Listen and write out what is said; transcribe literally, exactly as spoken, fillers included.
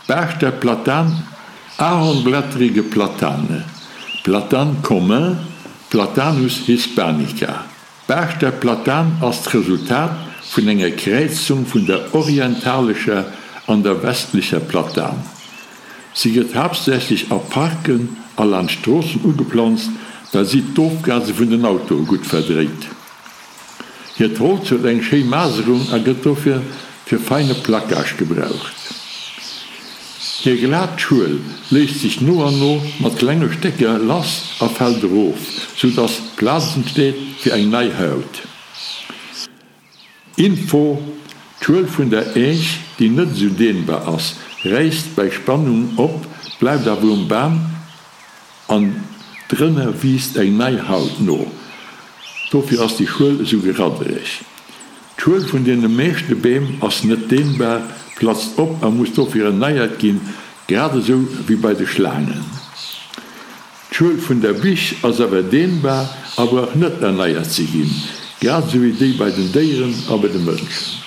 Baascht der Platan, Ahornblättrige Platane, Platane commun, Platanus hispanica. Baascht der Platan ass d'Resultat vun enger Kräizung vun der orientalescher an der westlecher Platan. Si gëtt haaptsächlech a Parken a laanscht Stroossen ugeplanzt, well si d'Ofgase vun den Autoe gutt verdréit. Hiert Holz huet eng schéi Maserung a gëtt dofir fir feine Placage gebraucht. Hir glat Schuel léist sech no an no mat klenge Stécker lass a fält erof, sou dass Plaz entsteet fir eng nei Haut. Info, D'Schuel vun der Äech, déi net esou dehnbar ass, räisst bei Spannung op, bleift awer um Bam an drënner wiisst eng nei Haut no. Dofir ass déi Schuel esou geraddereg. D'Schuel vun deene meeschte Beem ass net dehnbar, platzt op a muss dofir erneiert ginn, grad esou wéi bei de Schlaangen. D'Schuel vun der Bich ass awer dehnbar a brauch net erneiert ze ginn, grad esou wéi déi bei den Déieren a bei de Mënschen.